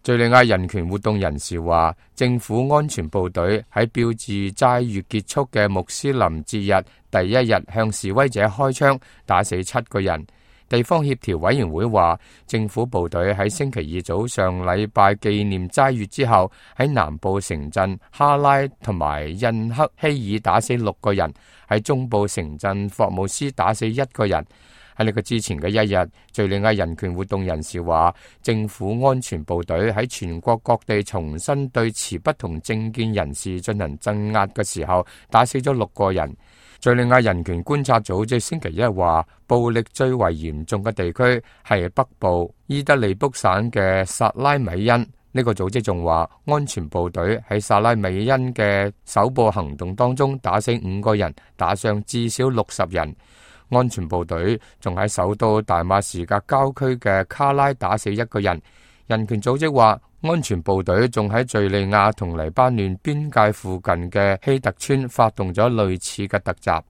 敘利亞人權活動人士話，政府安全部隊喺標誌齋月結束嘅穆斯林節日第一日向示威者開槍，打死7個人。地方協調委員會話，政府部隊喺星期二早上禮拜紀念齋月之後，喺南部城鎮哈拉同埋印克希爾打死6個人，喺中部城鎮霍姆斯打死1個人。喺呢個之前嘅一日，敘利亞人權活動人士話，政府安全部隊喺全國各地重新對持不同政見人士進行鎮壓嘅時候，打死咗6個人。敘利亞人權觀察組織星期一話，暴力最為嚴重嘅地區係北部伊德利卜省嘅薩拉米恩。呢個組織仲話，安全部隊喺薩拉米恩嘅首部行動當中打死5個人，打傷至少60人。安全部隊仲喺首都大馬士革郊區嘅卡拉打死1個人。人權組織話，安全部隊仲喺敘利亞同黎巴嫩邊界附近嘅希特村發動咗類似嘅突襲。